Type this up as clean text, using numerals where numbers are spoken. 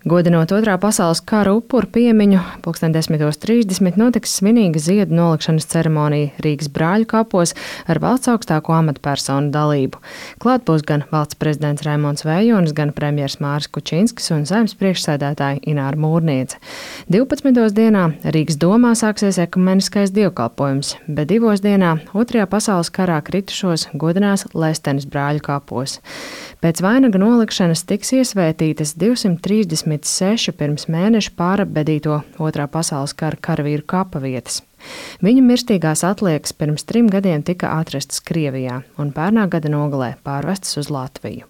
Godinot Otrā pasaules kara upuru piemiņu, 10:30 notiks svinīga ziedu nolikšanas ceremonija Rīgas Brāļu kapos ar valsts augstāko amatpersonu dalību. Klāt būs gan valsts prezidents Raimonds Vējonis, gan premjers Māris Kučinskis un Saeimas priekšsēdētāja Ināra Mūrniece. 12. dienā Rīgas domā sāksies ekumeniskais dievkalpojums, bet 2. dienā Otrajā pasaules karā kritušos godinās Lestenes Brāļu kapos. Pēc vainaga nolikšanas tiks iesvētītas 236 pirms mēneša pārapbedīto Otrā pasaules kara karavīru kapa vietas. Viņu mirstīgās atliekas pirms 3 gadiem tika atrastas Krievijā un pērnā gada nogalē pārvestas uz Latviju.